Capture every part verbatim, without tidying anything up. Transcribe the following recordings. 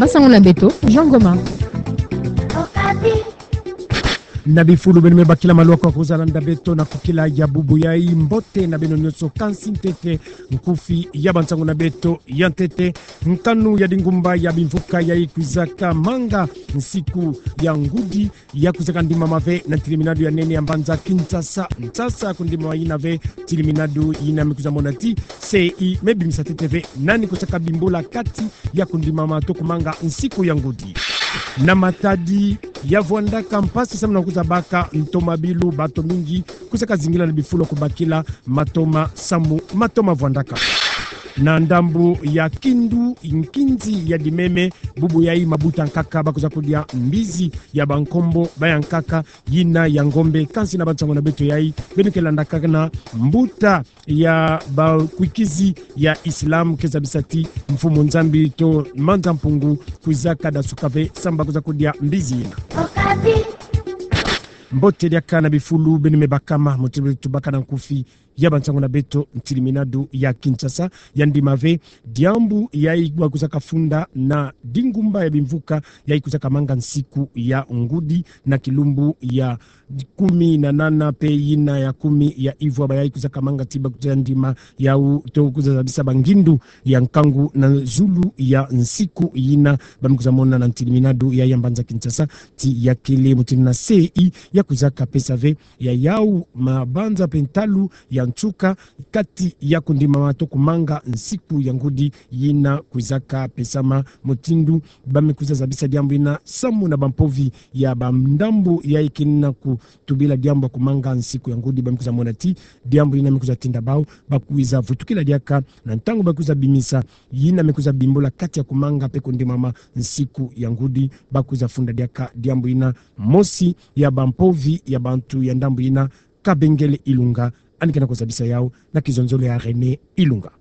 Nsangu na beto, Jean Goma. Na bifulu beno me bakila malu kwa kuzalanda beto na kukila ya bubu yai. Mbote na beno nyonso, kansi ntete nkufi ya bansangu na beto ya ntete. Nkanu ya dingumba ya bimvuka yai kwizaka manga nsiku ya ngudi ya kwizaka ndimama ve na ntiliminadu ya nene ya mbanza Kinshasa. Nsasa kundimama yina ve, ntiliminadu yina me kwiza mona ti C E I me bimisa ntete ve nani kusaka bimbola kati ya kundimama to kumanga nsiku ya ngudi. Na matadi ya vwandaka mpasi samu na kwiza baka ntomabilu, bato mingi kusaka zingila na bifulu kubakila matoma samu matoma vwandaka. Na ndambu ya Kindu, nkinzi ya Dimeme, bubu yai mabuta nkaka bakwiza kudia mbizi ya bankombo ba ya nkaka yina ya ngombe. Kansi na bansangu na beto yai, beno ke landaka na mbuta ya bakwikizi ya Islam ke zabisa ti Mfumu Nzambi to Manza Mpungu kwizaka dasuka ve samu bakwiza kudia mbizi yina. Mbote diaka na bifulu beno me bakama, mbote beto tubaka na nkufi ya bansangu na beto. Ntiliminadu ya Kinshasa ya ndima ve diambu yai bakwizaka funda na dingumba ya bimvuka yai kwizaka manga nsiku ya ngudi na kilumbu ya kumi na nana mpe yina ya kumi ya ivwa, bayai kwizaka manga ti bakwiza ndima yau to kwiza zabisa bangindu ya nkangu na zulu ya nsiku yina. Ba me kwiza mona na ntiliminadu yai ya mbanza Kinshasa ti ya kele mutindu na C E I ya kwizaka pesa ve ya yau mabanza mpe ntalu ya nsuka kati ya kundimama to kumanga nsiku ya ngudi yina kwizaka pesama. Mutindu ba me kwiza zabisa diambu yina samu na bampovi ya bandambu yai ke na kutubila diambu ya kumanga nsiku ya ngudi, ba me kwiza mona ti diambu yina me kwiza tinda bau bakwiza vutukila diaka na ntangu bakwiza bimisa yina me kwiza bimbola kati ya kumanga mpe kundimama nsiku ya ngudi. Bakwiza funda diaka diambu yina mosi ya bampovi ya bantu ya ndambu yina, Kabengele Ilunga, yandi ke na kuzabisa yau na kizonzolo ya René Ilunga.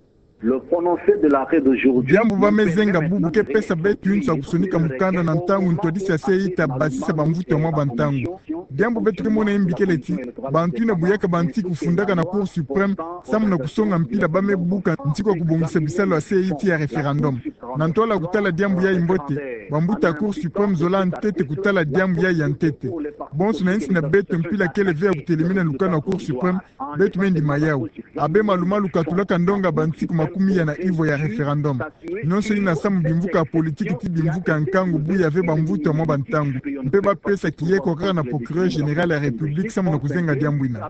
Le prononcé de l'arrêt d'aujourd'hui. Diambu ba me zenga bubu ke pesa beto yinso ya kusonika mukanda na ntangu ntwadisi ya C E I ta basisa bamvutu ya mwa bantangu. Diambu beto ke mona yai mbi kele ti bantu yina buyaka bansiku kufundaka na Cour suprême samu na kusonga mpila ba me buka nsiku ya kubongisa bisalu ya C E I ti ya référendum. Na ntwala ya kutala diambu yai mbote, bambuta ya Cour suprême zola ntete kutala diambu yai ya ntete. Bonso na yinsi na beto mpila kele ve ya kutelemena lukanu ya Cour suprême, beto me ndima yau. Abe malumalu katulaka ndonga bansiku makumi ya na ivwa ya référendum. Nyonso yina samu bimvuka ya politiki ti bimvuka ya nkangu, buya ve bamvutu ya mwa bantangu. Mpe ba pesa kiyeko kaka na procureur général ya République samu na kuzenga diambu yina.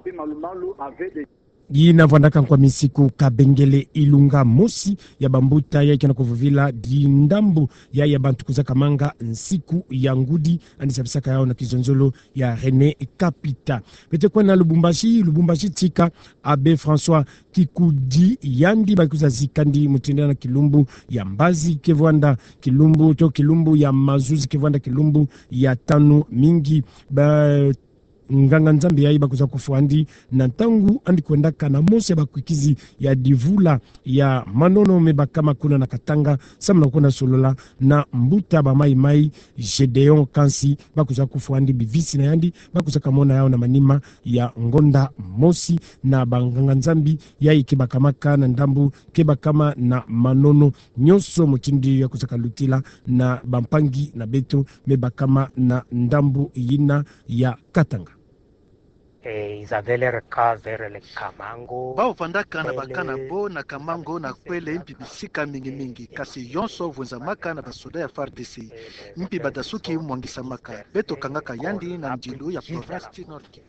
Yina vwandaka nkwa minsiku Kabengele Ilunga, mosi ya bambuta yai ke na kuvovila dindambu yai ya bantu kwizaka manga nsiku ya ngudi, yandi zabisaka yau na kizonzolo ya René Kapita. Beto kwenda na Lubumbashi, Lubumbashi tika Abbé François Kikudi, yandi ba kwiza zika ndi mutindu na kilumbu ya mbazi ke vwanda kilumbu to kilumbu ya mazuzi ke vwanda kilumbu ya tanu mingi. Ba nganga-Nzambi yai ba kwiza kufwa ndi na ntangu yandi kwendaka na mosi ya bakwikizi ya divula ya manono me bakama kuna na Katanga, samu na kwenda solola na mbuta ba maimai Gédéon Kansi, ba kwiza kufwa ndi bivisi na yandi ba kwizaka mona yau na manima ya ngonda mosi na banganga-Nzambi yai ke bakamaka na ndambu ke bakama na manono. Nyonso mutindu ya kwizaka lutila na bampangi na beto me bakama na ndambu yina ya Katanga. Et ils avaient leur camp vers le Kamango. Bau vandaka na ba camp na bo na Kamango na kwele mpi bisika mingi-mingi, kasi yonso vwenzamaka na basoda ya FARDC. Mpi badasuki mwangisamaka. Beto kangaka yandi na ndilu ya province ti Nord-Kivu.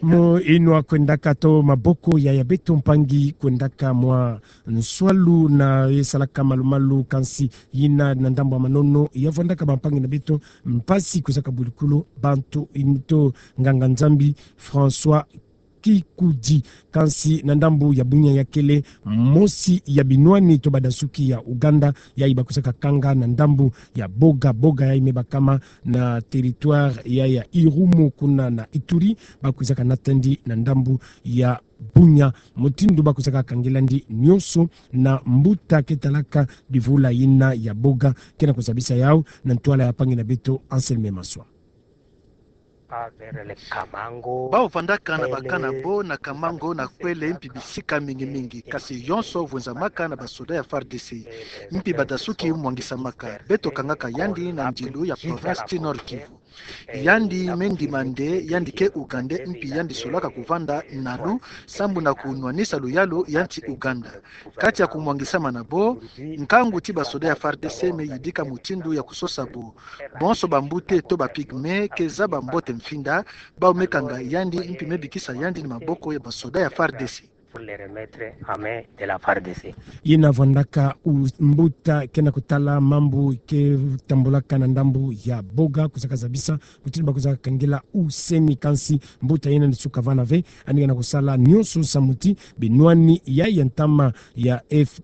Mu inwa kwendaka to maboko ya, ya beto mpangi kwendaka mwa nswalu na ye salaka malu-malu, kansi yina na ndambu ya manono ya vwandaka bampangi na beto mpasi kwizaka bulikulu bantu yina to nganga-Nzambi François Kikudi. Kansi na ndambu ya Bunia ya kele mosi ya binwani to badasuki ya Ouganda, yai ba kwizaka kanga na ndambu ya Boga. Boga yai me bakama na territoire ya, ya Irumu kuna na Ituri, ba kwizaka nata ndi na ndambu ya Bunia. Mutindu ba kwizaka kangela ndi nyonso na mbuta ke talaka divula yina ya Boga ke na kuzabisa yau na ntwala ya mpangi na beto Anselme Maswa. Bau vandaka na baka na bo na Kamango na Kwele mpi bisika mingi mingi, kasi yonso vwenzamaka na basoda ya F A R D C. Mpi badasuki mwangisamaka, beto kangaka yandi na ndilu ya province ti Nord-Kivu. Yandi me ndima nde yandi ke Ougandais mpi yandi solaka kuvanda nalu, sambu na kunwanisa luyalu ya nsi Ouganda. Kati ya kumwangisama na bo, nkangu ti basoda ya F A R D C me yidika mutindu ya kusosa bo. Bonso bambote to ba pygmées ke zaba mbote mfinda, bau me kanga yandi mpi me bikisa yandi na maboko ya basoda ya F A R D C. Pour les remettre en main de la F A R D C. Yina vwandaka u-, mbuta ke na kutala mambu ke tambulaka na ndambu ya Boga, kuzaka zabisa mutindu ba kuzaka kangela usemi, kansi mbuta yina ni suka vana ve, yandi ke na kusala nionso samu ti binwani ya, ya ntama ya F-,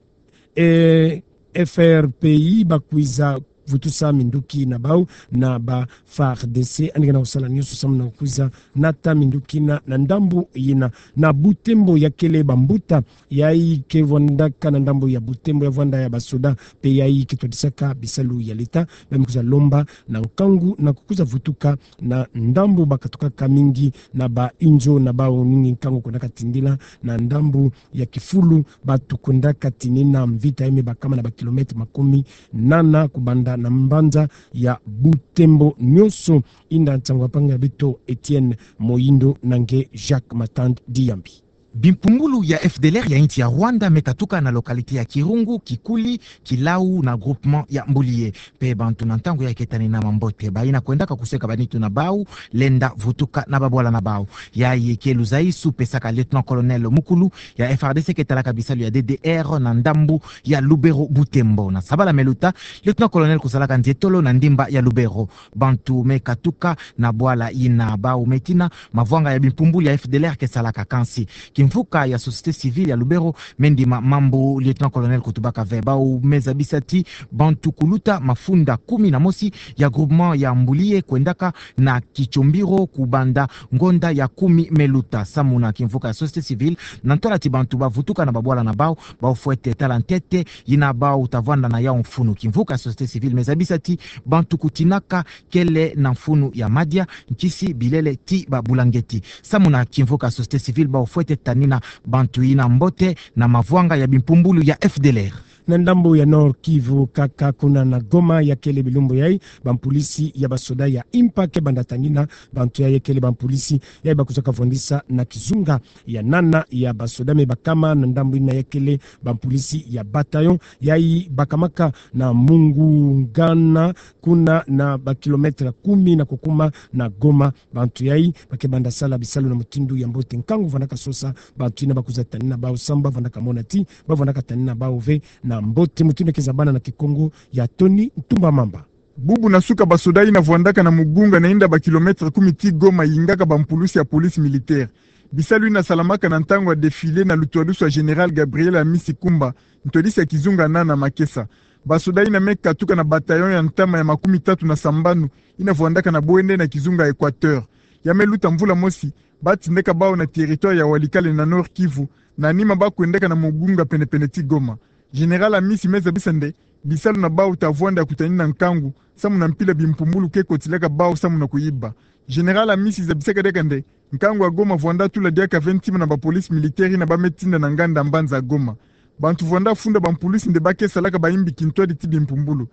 eh, F R P I ba kwiza vutusa minduki na bau na ba F A R D C, yandi ke na kusala nionso samu na kwiza nata minduki na, na ndambu yina. Na Butembo ya kele bambuta yayi ke vwandaka na ndambu ya Butembo ya vwanda ya basoda, mpe yayi ke twadisaka bisalu ya leta, ba me kwiza lomba na nkangu na kukwiza vutuka na ndambu ba katukaka mingi na ba inzo na bau, ningi nkangu kwendaka tindila na ndambu ya Kifulu, batu kwendaka tinina mvita ya me bakama na ba kilomètre makumi nana kubanda na mbanza ya Butembo nionso. Inda nsangu ya mpangi ya beto Etienne Moyindo na nge Jacques Matand Diyambi. Bimpumbulu ya F D L R ya insi ya Rwanda me katuka na localité ya Kirungu, Kikuli, Kilau na groupement ya Mbuliye. Mpe bantu na ntangu yayi ke tanina mambote, bayina kwendaka kuseka banitu na bau, lenda vutuka na babwala na bau. Yayi ke luzaisu pesaka lieutenant-colonel mukulu ya F R D C ke talaka bisalu ya D D R na ndambu ya Lubero Butembo. Na sabala me luta, lieutenant-colonel kusalaka nzietolo na ndimba ya Lubero. Bantu me katuka na bwala yina, bau me tina mavwanga ya bimpumbulu ya F D L R ke salaka, kansi kimvuka ya société civile ya Lubero me ndima mambu lieutenant-colonel kutubaka ve. Bau me zabisa ti bantu kuluta mafunda kumi na mosi ya groupement ya Mbuliye kwendaka na Kichombiro kubanda ngonda ya kumi me luta. Samu na kimvuka ya société civile, na ntwala ti bantu ba vutuka na babwala na bau, bau fwete tala ntete yina bau ta vwanda na yau mfunu. Kimvuka ya société civile me zabisa ti bantu kutinaka kele na mfunu ya madia, nkisi, bilele ti babulangeti. Samu na kimvuka ya société civile, bau fwete tanina bantu yina mbote na mavwanga ya bimpumbulu ya F D L R. Na ndambu ya Nord-Kivu kaka, kuna na Goma, ya kele bilumbu yayi, bampulisi ya basoda ya IMPA ke banda tanina bantu yayi, ya kele bampulisi yayi ba kuzaka vwandisa na kizunga ya nana ya basoda me bakama na ndambu yina, ya kele bampulisi ya bataillon yayi bakamaka na Mungungana, kuna na ba kilomètre kumi na kukuma na Goma. Bantu yayi ba ke banda sala bisalu na mutindu ya mbote. Nkangu vwandaka sosa bantu yina ba kwiza tanina bau, samu ba vwandaka mona ti ba vwandaka tanina bau ve na mbote. Mutindu ke zabana na Kikongo ya Tony Ntumba Mamba. Bubu na suka, basoda yina vwandaka na Mugunga, na inda ba kilomètre kumi ti Goma, yingaka bampulusi ya police militaire. Bisalu yina salamaka na ntangu ya défilé na lutwadusu ya Général Gabriel Amisi Kumba, ntwadisi ya kizunga nana Makesa. Basoda yina me katuka na bataillon ya ntama ya makumi tatu na sambanu, yina vwandaka na bwende na kizunga Équateur. Ya me luta mvula mosi, ba tindaka bau na territoire ya Walikale na Nord-Kivu, na nima ba kwendaka na Mugunga, penepene ti Goma. Général Amisi me zabisa nde bisalu na bau ta vwanda ya kutanina nkangu, samu na mpila bimpumbulu ke kotilaka bau samu na kuyiba. Général Amisi zabisaka diaka nde nkangu ya Goma vwanda tula diaka ve ntima na bapolice militaire yina ba me tinda na nganda mbanza Goma. Bantu vwanda funda bampulusi nde ba ke salaka bayimbi kintwadi ti bimpumbulu.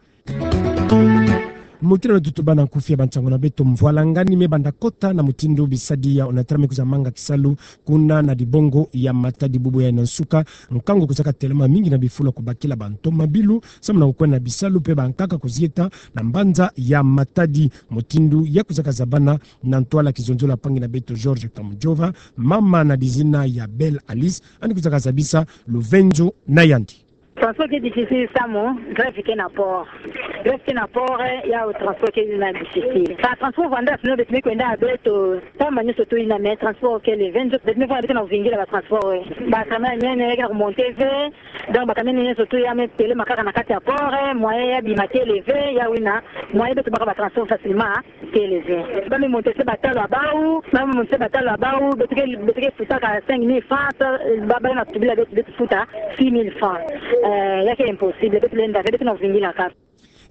Mutindu beto tubâ na nkufi ya bansangu na beto, mvwalangani me banda kota na mutindu bisadi ya Onatra me kwiza manga kisalu kuna na dibongo ya Matadi bubu yayi na nsuka. Nkangu kuzaka telama mingi na bifulu ya kubakila bantomabilu, samu na kukwenda na bisalu mpe bankaka kuzieta na mbanza ya Matadi. Mutindu ya kuzaka zabana na ntwala kizonzolo ya mpangi na beto George Kamujova, mama na dizina ya Belle Alice, yandi kuzaka zabisa luvenzo na yandi. Transport ke difficile samu, grève ke na port. Grève ke na port, eh, yawu transport ke na difficile. Ka transport vwanda sinon beto me kwenda beto, pamba nyonso tu yina, mais transport ke luvenzo, beto me vwanda beto na kuvingila ba transport, eh. Ba camion ya minene ke na kumonter ve, donc ba camion nyonso tu ya me telema kaka na kati ya port, eh, moyen ya bima kele ve, yawu yina, moyen beto baka ba transport facilement kele ve. Ba me monter se batalo ya bawu, ba me monter se batalo ya bawu, beto ke, beto ke futaka cinq mille francs, ba, ba na tubila beto, beto futa six mille francs. Eh, ya ke impossible, beto lenda ve, beto na kuvingila kaka.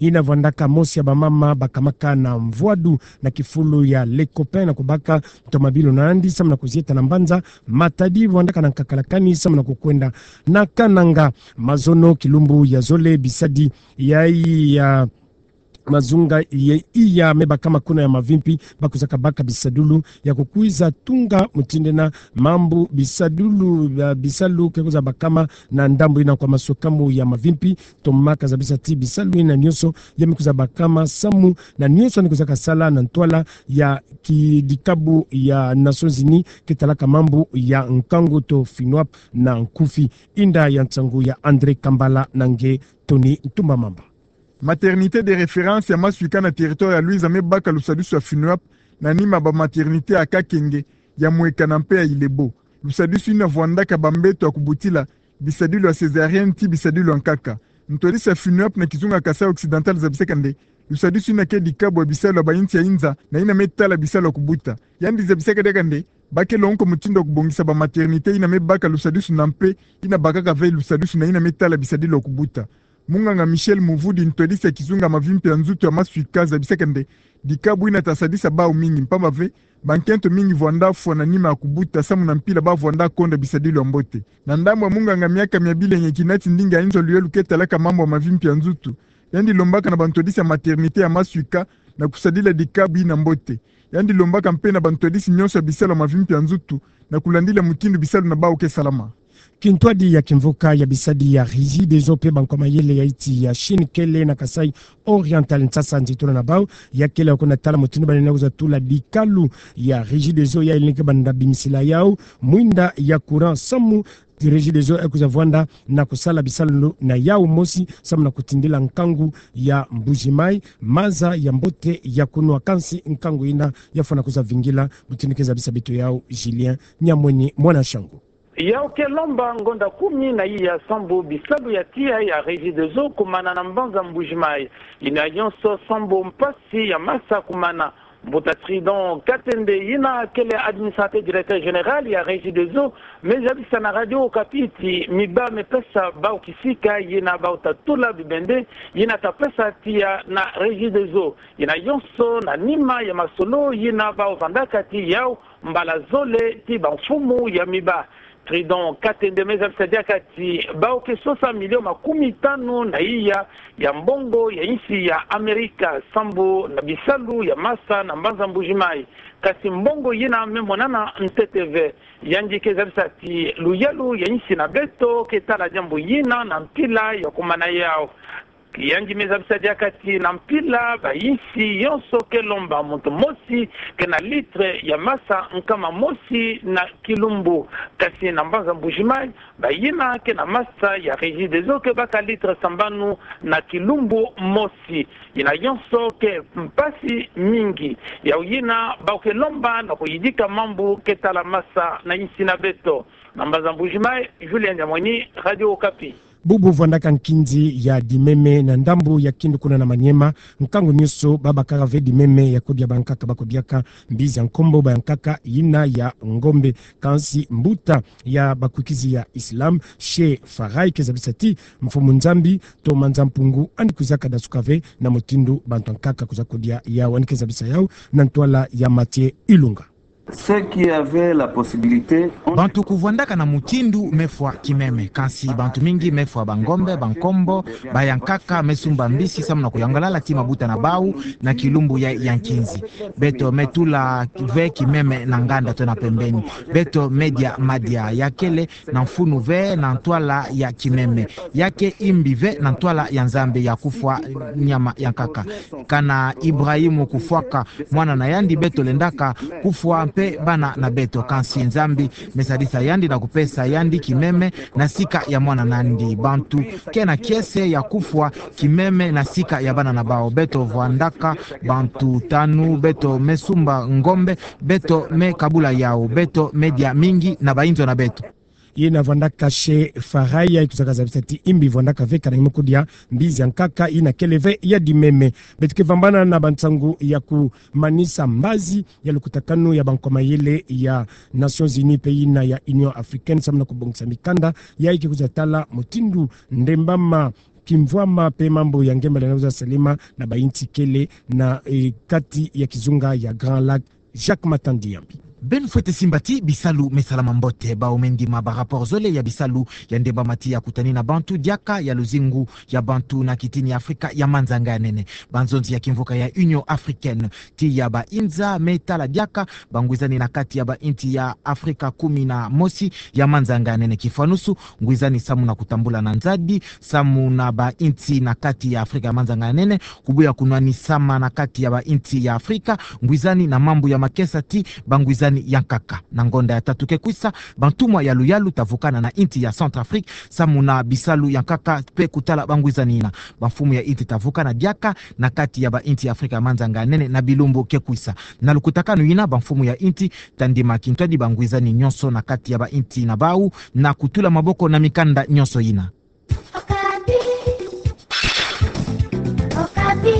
Yina vwandaka mosi ya bamama bakamaka na mvwadu na kifulu ya Les Copains na kubaka ntoma bilo na yandi samu na kuzieta na mbanza Matadi vwandaka na nkaka lakani samu na kukwenda na Kananga. Mazono kilumbu ya zole bisadi ya, ya mazunga ye iya me bakama kuna ya mavimpi, ba kuzaka baka bisadulu ya kukwiza tunga mutindena mambu bisadulu, ah, bisalu ke kwiza bakama na ndambu yina kwa masukamu ya mavimpi. Toma ka zabisa ti bisalu yina nyonso ya me kwiza bakama samu na nyonso ni kwiza kasala na ntwala ya kidikabu ya Nations Unies ke talaka mambu ya nkangu to FINUAP na nkufi. Inda ya nsangu ya André Kambala na nge Tony Ntumba Mamba. Maternité de référence ya Maswika na territoire ya Luiza me baka lusadusu ya FINUAP na nima ba maternité ya Kakenge, ya Mweka na mpe ya Ilebo. Lusadusu yina vwandaka bambeto ya kubutila, bisadilu ya césarienne ti bisadilu ya nkaka. Ntwadisi ya FINUAP na kizunga Kasaï Occidental zabisaka nde lusadusu yina ke dikabu ya bisalu ya bayinsi ya inza na yina me tala bisalu ya kubuta. Yandi zabisaka diaka nde ba ke longoka mutindu ya kubongisa ba maternité yina me baka lusadusu na mpe yina bakaka ve lusadusu na yina me tala bisadilu ya kubuta. Munganga Michel Muvudi, ntwadisi ya kizunga mavimpi ya nzutu ya Maswika, zabisaka nde dikabu yina ta sadisa bau mingi mpamba ve bankento mingi vwanda fwa na nima ya kubuta samu na mpila ba vwanda konda bisadilu ya mbote. Na ndambu ya munganga Miaka Miabilenye Kinati, ndinga ya inzo ya luyelu ke talaka mambu ya mavimpi ya nzutu, yandi lombaka na bantwadisi ya maternité ya Maswika na kusadila dikabu yina mbote. Yandi lombaka mpe na bantwadisi nyonso ya bisalu ya mavimpi ya nzutu na kulandila mutindu bisalu na bau ke salama. Kintwadi ya kimvuka ya bisadi ya Régie des Eaux mpe bankwa mayele ya insi ya Chine kele na Kasaï Oriental nsasa nzitula na bau, ya kele ya kuna tala mutindu ba lenda kwiza tula dikalu ya Régie des Eaux ya ileke banda bimisila yau mwinda ya courant samu Régie des Eaux e kwiza vwanda na kusala bisalu na yau mosi samu na kutindila nkangu ya Mbuji-Mayi maza ya mbote ya kunwa. Kansi nkangu yina ya fwana kwiza vingila, mutindu ke zabisa beto yau Julien Nyamweni mwana Shangu. Yau ke lomba ngonda kumi na iya sambu bisalu ya tiya ya Régie des Eaux kumana na mbanza Mbuji-Mayi. Yina yonso sambu mpasi ya masa kumana. Mbuta Tridon Katende, yina kele administrateur directeur général ya Régie des Eaux, me zabisa na Radio Okapi ti miba me pesa bau kisika yina bau ta tula bibende yina ta pesa tiya na Régie des Eaux. Yina yonso na nima ya masolo yina bau vandaka ti yau mbala zole ti bamfumu ya miba. Tridon Katende me zabisa diaka ti bau ke sosa milio makumi tanu na iya ya mbongo ya insi ya Amerika sambu na bisalu ya masa na mbanza Mbuji-Mayi. Kansi mbongo yina me monana ntete ve. Yandi ke zabisa ti luyelu ya insi na beto ke tala diambu yina na mpila ya kumana yau. Yandi me zabisa diaka ti na mpila bayinsi yonso ke lomba muntu mosi ke na litre ya masa nkama mosi na kilumbu. Kansi na mbanza Mbuji-Mayi, bayina ke na masa ya Régie des Eaux ke baka litre sambanu na kilumbu mosi. Yina yonso ke mpasi mingi. Yau yina bau ke lomba na kuyidika mambu ke tala masa na insi na beto. Na mbanza Mbuji-Mayi, Julien Nyamweni, Radio Okapi. Bubu vwandaka nkinzi ya Dimeme na ndambu ya Kindu kuna na Maniema. Nkangu nyonso babakaka ve Dimeme ya kudia bankaka, ba kudiaka mbizi ya nkombo ba ya nkaka yina ya ngombe. Kansi mbuta ya bakwikizi ya Islam, Cheikh Farai, ke zabisa ti Mfumu Nzambi to Manza Mpungu andi kwizaka dasuka ve na mutindu bantu ya nkaka kwiza kudia yau. Andi ke zabisa yau na ntwala ya Mathieu Ilunga. Ceux qui avaient la possibilité ont... Bantu kuvwandaka na mutindu me fwa kimeme, kansi bantu mingi me fwa bangombe, bankombo, ba ya nkaka me sumba mbisi samu na kuyangalala ti mabuta na bau na kilumbu ya, ya nkinzi. Beto me tula ve kimeme na nganda to na pembeni. Beto me dia madia ya kele na mfunu ve na ntwala ya kimeme. Ya ke imbi ve na ntwala ya Nzambi ya kufwa nyama ya nkaka. Kana Ibrahimu kufwaka mwana na yandi, beto lendaka kufwa mpe bana na beto. Kansi Nzambi me sadisa yandi na kupesa yandi kimeme na sika ya mwana na yandi. Bantu ke na kiese ya kufwa kimeme na sika ya bana na bau. Beto vwandaka bantu tanu, beto me sumba ngombe, beto me kabula yau, beto me dia mingi na bayinzo na beto. Yina vwandaka Cheikh Farai, ya kwizaka zabisa ti imbi vwandaka ve kana ngimu kudia mbizi ya nkaka yina kele ve ya Dimeme. Beto ke vambana na bansangu ya kumanisa mbazi ya lukutakanu ya bankomayele ya Nations Unies mpe yina ya Union Africaine samu na kubongisa mikanda ya yi ke kwiza tala mutindu ndembama Kimvwama pe mambu ya ngemba lenda kwiza salama na ba inti kele na, eh, kati ya kizunga ya Grand Lac. Jacques Matandi Yambi. Beno fwete simba ti bisalu me salama mbote. Bau me ndima ba rapport zole ya bisalu ya ndembama ti ya kutani na bantu diaka ya luzingu ya bantu na kitini ya Afrika ya manzanga ya nene. Banzonzi ya kimvuka ya Union Africaine ti ya ba inza me tala diaka bangwizani na kati ya ba inti ya Afrika kumi na mosi ya manzanga ya nene. Kifwanusu, ngwizani samu na kutambula na nzadi samu na ba inti na kati ya Afrika ya manzanga ya nene, kubuya kunwanisama na kati ya ba inti ya Afrika, ngwizani na mambu ya makesa ti bangwizani ya nkaka. Na ngonda ya tatu ke kwisa, bantumwa ya luyalu ta vukana na inti ya Centrafrique samu na bisalu ya nkaka pe kutala bangwizani yina. Bamfumu ya inti ta vukana diaka na kati ya ba inti ya Afrika ya manzanga ya nene na bilumbu ke kwisa. Na lukutakanu yina, bamfumu ya inti ta ndima kintwadi bangwizani nyonso na kati ya ba inti na bau na kutula maboko na mikanda nyonso yina. Okapi. Okapi.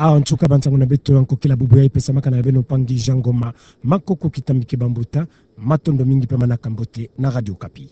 Ah, en tout cas, bansangu na beto ya nkokila bubu ya ipesamaka na beno mpangi Jean Ngoma Makoko, kitambi ke bambuta. Matondo mingi pe manaka mbote na Radio Okapi.